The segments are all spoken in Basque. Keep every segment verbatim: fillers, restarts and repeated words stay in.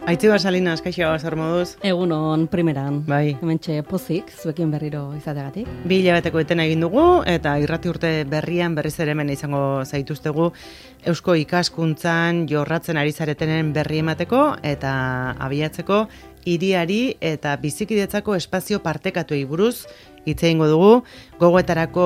Aitziber Salinas, kaixo, zer moduz? Egunon primeran. Bai. Hementxe pozik, zuekin berriro izateagatik. Bi hilabeteko etena egin dugu, eta irrati urte berrian berriz ere hemen izango zaituztegu Eusko ikaskuntzan jorratzen ari zaretenen berri emateko eta abiatzeko hiriari eta bizikidetzako espazio partekatuei buruz hitz egingo dugu, gogoetarako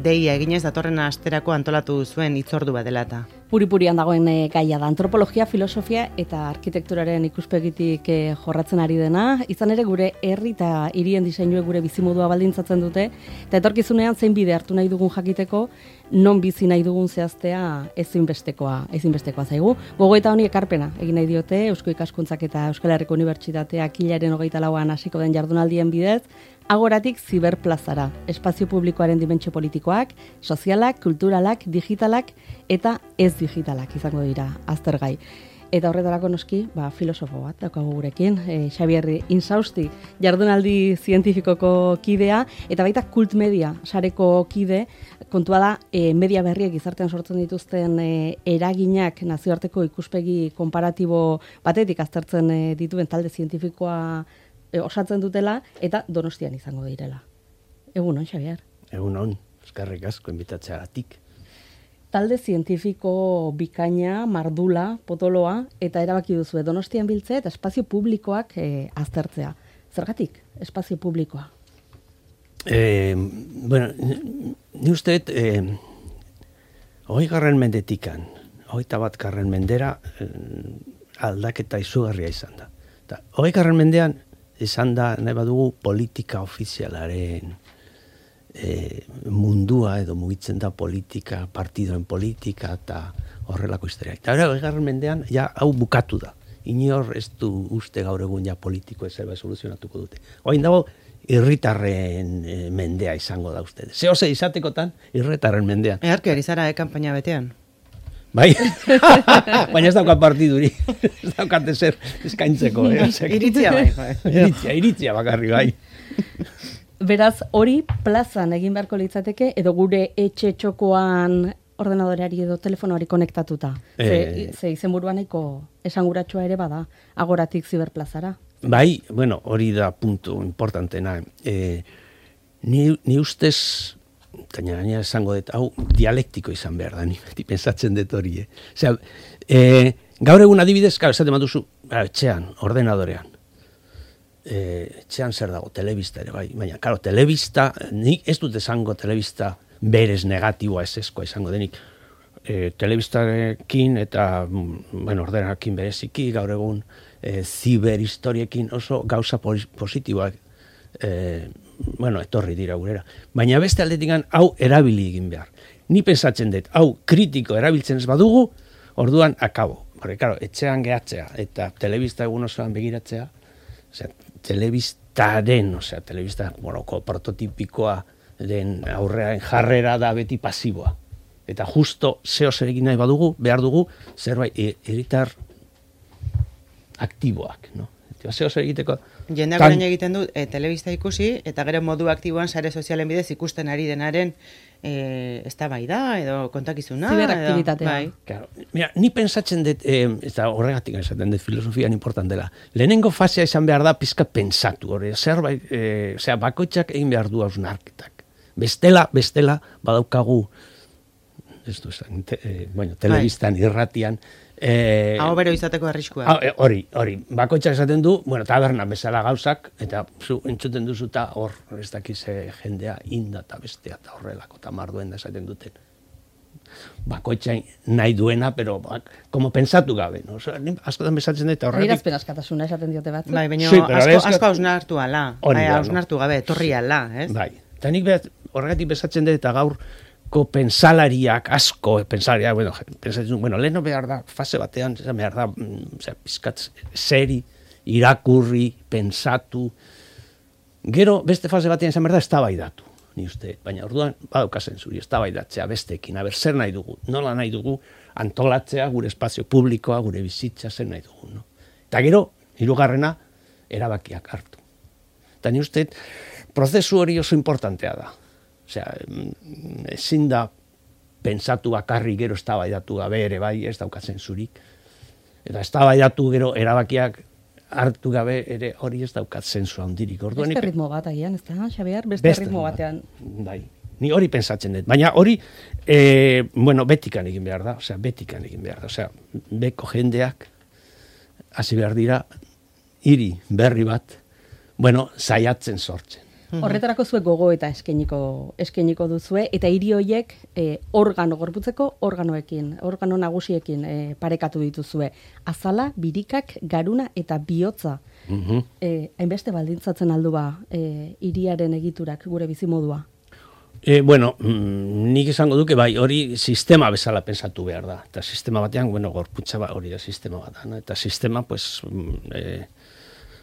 deia eginez datorren asterako antolatu zuen hitzordu bat dela eta. Puri-purian dagoen e, gaia da, antropologia, filosofia eta arkitekturaren ikuspegitik e, jorratzen ari dena, izan ere gure herri eta hirien diseinuek gure bizimodua baldintzatzen dute, eta etorkizunean zein bide hartu nahi dugun jakiteko, non bizi nahi dugun zehaztea ezinbestekoa, ezinbestekoa zaigu. Gogoeta honi ekarpena egin nahi diote Eusko Ikaskuntzak eta Euskal Herriko Unibertsitateak hilaren hogeita lauan hasiko den jardunaldien bidez, Agoratik ziberplazara, espazio publikoaren dimentsio politikoak, sozialak, kulturalak, digitalak eta ez digitalak izango dira aztergai. Eta horretarako noski, ba, filosofo bat daukagu gurekin, e, Xabier Insausti, jardunaldi zientifikoko kidea, eta baita kult media sareko kide, kontua da, e, media berriek gizartean sortzen dituzten e, eraginak nazioarteko ikuspegi konparatibo batetik aztertzen e, dituen talde zientifikoa osatzen dutela, eta Donostian izango direla. Egunon, Xabier. Egunon, eskerrik asko inbitatzeagatik. Talde zientifiko bikaina, mardula, potoloa, eta erabaki duzu Donostian biltzea eta espazio publikoak e, aztertzea. Zergatik, espazio publikoa? Eh, bueno, ni uste, eh, hoi garren mendetikan, hogeita bat garren mendera, eh, aldaketa izugarria izan da. Hoi garren mendean, izan da, nahi badugu, politika ofizialaren e, mundua edo mugitzen da politika, partidoen politika eta horrelako historia. Eta hori, egarren mendean, ja, hau bukatu da. Inor ez du uste gaur egun ja politiko ezerba soluzionatuko dute. Oain dago, irritarren e, mendea izango da uste. Zehose izatekotan, irritarren mendean. Eharki ari zara, eh, kanpaina betean. Bai, baina ez daukat partiduri, ez daukat ezer eskaintzeko. Eh? Iritzia bai. bai. Iritzia, iritzia bakarri bai. Beraz, hori plazan egin beharko litzateke, edo gure etxe txokoan ordenadoreari edo telefonoari konektatuta. E... Ze, ze izenburua nahiko esanguratsua ere bada, Agoratik ziberplazara. Bai, bueno, hori da puntu importantena. E, ni, ni ustez... Taina gaina esango dut, hau dialektiko izan behar da, ni beti pensatzen dut hori. Eh? Osea, e, gaur egun adibidez, gara, esaten baduzu, etxean, ordenadorean. E, etxean zer dago, telebista ere, bai. Baina, karo, telebista, nik ez dut esango telebista berez negatiboa ez eskoa izango denik. E, telebistarekin eta, bueno, ordenarekin bereziki, gaur egun, e, ziberhistoriekin oso gauza positiboak, e, bueno, etorri dira gurera. Baina beste aldetik hau erabili egin behar. Ni pensatzen dut, hau kritiko erabiltzen ez badugu, orduan akabo. Horre, karo, etxean gehatzea eta telebista egun osoan begiratzea, osea, telebistaren, osea, telebista moroko prototipikoa den aurrean jarrera da beti pasiboa. Eta justo zeo zer egin nahi badugu, behar dugu, zerbait hiritar aktiboak, no? Zeo zer egiteko... Jendeak orain egiten du e, telebista ikusi, eta gero modu aktiboan sare sozialen bidez ikusten ari denaren e, eztabaida edo kontakizuna. Ziberaktibitatea. Bai. Claro. Mira, ni pensatzen dut, eh, eta horregatik esaten dut filosofian importantela. Lehenengo fasea izan behar da pizka pentsatu, hori, zerbait, eh, osea, bakoitzak egin behar du hausnarketak. Bestela, bestela, badaukagu, ez du esan, te, eh, bueno, telebistan, irratian, Eh, Hau bero izateko arriskua. Hori, hori. Bakoitzak esaten du, bueno, tabernan bezala gauzak, eta zu entzuten duzu eta hor, ez dakize jendea inda eta bestea eta horrelako, eta marduen da esaten duten. Bakoitzak nahi duena, pero bak, como pensatu gabe, no? O sea, askotan bezatzen dut, horretik... Adierazpen askatasuna esaten diote bat. Bai, baina sí, asko, asko hausnartu ala, bai, hausnartu gabe, torri ala, ez? Bai, eta nik horregatik bezatzen dut, eta gaur, ko pensalariak, asko pensalariak, bueno, pensatzen, bueno, leheno behar da, fase batean, behar da, o sea, pizkat seri, irakurri, pensatu, gero beste fase batean izan behar da, eztabaidatu, ni uste, baina orduan, badaukazen zuri, eztabaidatzea bestekin, aber, zer nahi dugu, nola nahi dugu, antolatzea, gure espazio publikoa, gure bizitza, zer nahi dugu, no? Eta gero, hirugarrena, erabakiak hartu. Eta ni uste, prozesu hori oso importantea da. Osea, ezin da pentsatu bakarri gero eztabaidatu gabe ere bai, ez daukatzen zurik. Eta eztabaidatu gero erabakiak hartu gabe ere hori ez daukat zensu handirik. Orduan, beste ritmo bat agian, ez da, Xabier? Beste, beste ritmo batean. Bai. Ni hori pentsatzen dut. Baina hori, e, bueno, betikan egin behar da. Osea, betikan egin behar da. Osea, beko jendeak hasi behar dira hiri berri bat, bueno, saiatzen sortzen. Horretarako zuek gogo eta eskainiko eskainiko duzue eta hiri hoiek e, organo gorputzeko organoekin, organo nagusiekin e, parekatu dituzue. Azala, birikak, garuna eta bihotza. Mhm. E, hainbeste baldintzatzen aldu ba e, hiriaren egiturak gure bizimodua. E, bueno, mm, nik esango duke bai, hori sistema bezala pensatu behar da. Eta sistema batean, bueno, gorputza ba, hori da sistema bat da, no? Eta sistema, pues, e,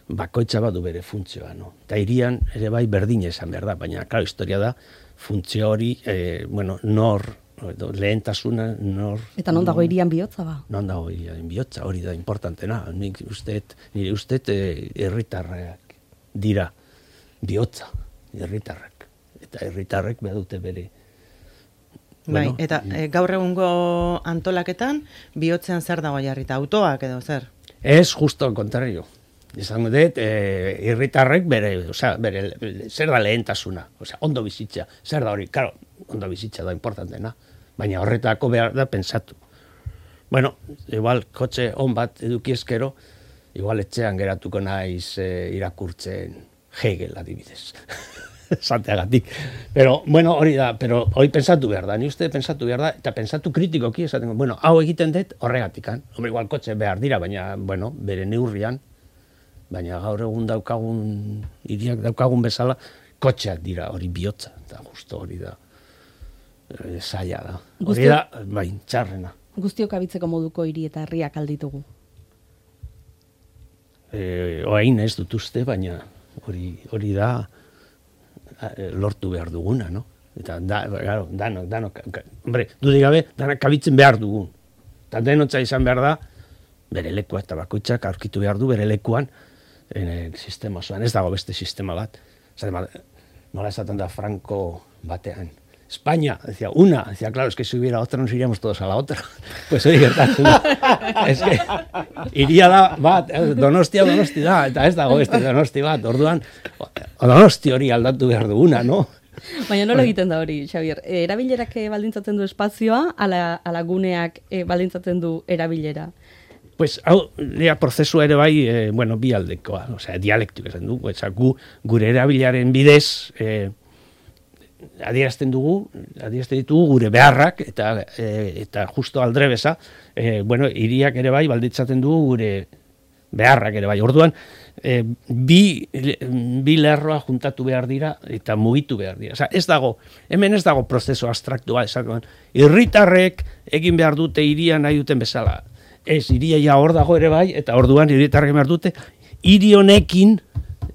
bakoitza badu bere funtzioa, no? Eta hirian ere bai berdina esan behar da, baina, klaro, historia da, funtzio hori, e, bueno, nor, lehentasuna, nor... Eta non dago hirian bihotza ba? Non dago hirian bihotza, hori da importantena. Nik usteet, nire usteet, herritarrak dira bihotza, herritarrak. Eta herritarrek behar dute bere. Bai, Bueno, eta e, gaur egungo antolaketan, bihotzean zer dago jarrita, autoak edo zer? Ez justo al contrario. Esan dut, eh, herritarrek bere, osea, bere, zer da lehentasuna, osea, ondo bizitza, zer da hori, claro, ondo bizitza da importantena, baina horretako behar da pensatu. Bueno, igual kotxe on bat edukiezkero, igual etxean geratuko naiz eh, irakurtzen Hegel adibidez. Santeagatik. Pero, bueno, hori da, pero hori pensatu behar da, ni uste pensatu behar da, eta pensatu kritikoki esaten, bueno, hau egiten dut horregatikan, hombre, igual kotxe behar dira, baina, bueno, bere neurrian, baina gaur egun daukagun, hiriak daukagun bezala, kotxeak dira, hori bihotza, eta justo hori da, e, zaila da. Hori da, bai, txarrena. Guztiok abitzeko moduko hiri eta herriak alditugu. E, Oain ez dut uste, baina hori, hori da lortu behar duguna, no? Eta, da, claro, danok, danok, hombre, dudik gabe, danak kabitzen behar dugun. Eta denotza izan behar da, bere lekua eta bakoitzak aurkitu behar du bere lekuan, en sistema osoan, ez dago beste sistema bat. Zaten, nola esaten da Franco batean, España, decía, una, decía, claro, es que si hubiera otra nos iríamos todos a la otra. Pues hori gertatzen da. Es que iria da, bat, Donostia, Donosti da, eta ez dago beste Donosti bat, orduan, Donosti hori aldatu behar duguna, no? Baina nola egiten da hori, Xabier? E, erabilerak baldintzatzen du espazioa, ala, ala guneak e, baldintzatzen du erabilera? Pues, hau, lea prozesua ere bai, eh, bueno, bi aldekoa, o sea, dialektik esan du, pues, gu, gure erabilaren bidez, eh, adierazten dugu, adierazten ditugu gure beharrak, eta, e, eta justo aldrebesa, e, bueno, hiriak ere bai, balditzaten dugu gure beharrak ere bai. Orduan, e, bi, bi lerroa juntatu behar dira, eta mugitu behar dira. Osa, ez dago, hemen ez dago prozeso abstraktua, esaten, herritarrek egin behar dute hiria nahi duten bezala. Ez, hiria ja hor dago ere bai, eta orduan herritarrek behar dute, hiri honekin,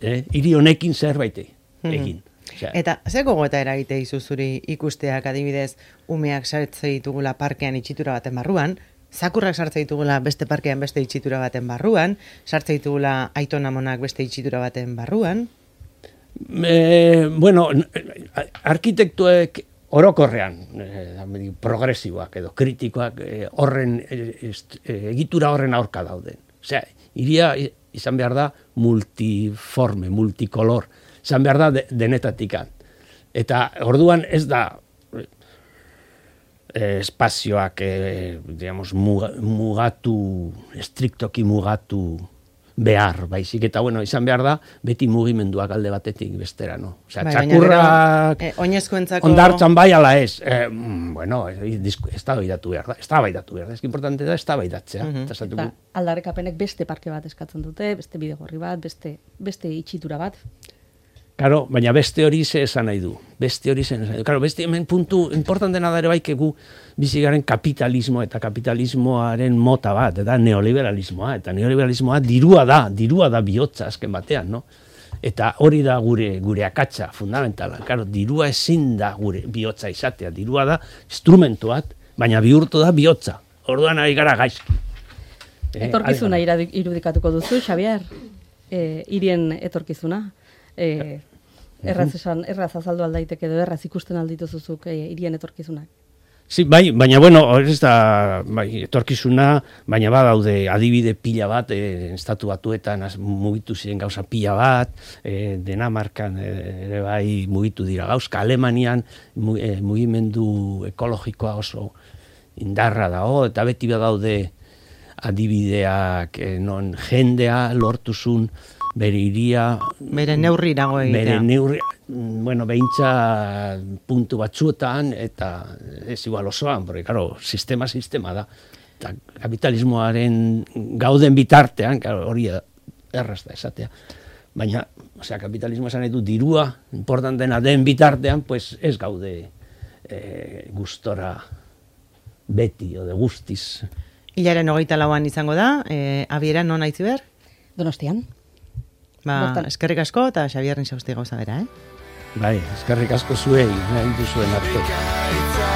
eh, hiri honekin zerbait egin. Eta ze gogoeta eragite izu zuri ikusteak adibidez umeak sartze ditugula parkean itxitura baten barruan, zakurrak sartze ditugula beste parkean beste itxitura baten barruan, sartze ditugula aiton amonak beste itxitura baten barruan? E, bueno, arkitektuek orokorrean, eh, progresiboak edo kritikoak eh, horren eh, egitura horren aurka dauden. Osea, hiria izan behar da multiforme, multikolor. Izan behar da de, denetatikan. Eta orduan ez da eh, espazioak eh, digamos, mugatu, estriktoki mugatu behar, baizik. Eta bueno, izan behar da beti mugimenduak alde batetik bestera, no? Osea, bai, txakurrak eh, oinezkoentzako ondartzan bai ala ez. Eh, bueno, ez da baidatu behar da. Ez da baidatu behar da. Ez importante da, ez da baidatzea. Uh -huh. Eta aldarrikapenek beste parke bat eskatzen dute, beste bidegorri bat, beste, beste itxitura bat. Claro, baina beste hori ze esan nahi du. Beste hori ze esan nahi du. Claro, beste hemen puntu importantena da ere bai gu bizigaren kapitalismo eta kapitalismoaren mota bat, eta neoliberalismoa, eta neoliberalismoa dirua da, dirua da bihotza azken batean, no? Eta hori da gure gure akatsa fundamentala. Claro, dirua ezin da gure bihotza izatea, dirua da instrumentu bat, baina bihurtu da bihotza. Orduan ari gara gaizki. Etorkizuna eh, irudikatuko duzu, Xabier? Eh, hirien etorkizuna? Eh, erraz esan, erraz azaldu aldaiteke edo erraz ikusten aldituzuzuk eh, hirien etorkizunak. Sí, bai, baina bueno, ez da bai, etorkizuna, baina badaude adibide pila bat, e, estatu batuetan az, mugitu ziren gauza pila bat, e, Dinamarkan e, ere bai mugitu dira gauzka, Alemanian mu, e, mugimendu ekologikoa oso indarra dago, eta beti badaude adibideak e, non jendea lortuzun bere iria... Bere neurri dago egitea. Bere neurri, bueno, behintza puntu batzuetan, eta ez igual osoan, porque, claro, sistema sistema da. Eta kapitalismoaren gauden bitartean, claro, hori erraz da esatea. Baina, osea, kapitalismo esan nahi du dirua, importantena den bitartean, pues ez gaude eh, gustora beti, o de guztiz. Hilaren hogeita lauan izango da, eh, abiera non aitzi behar? Donostian. Ba, eskerrik asko eta Xabierren xausti gauza bera, eh? Bai, eskerrik asko zuei, nahi duzuen arte.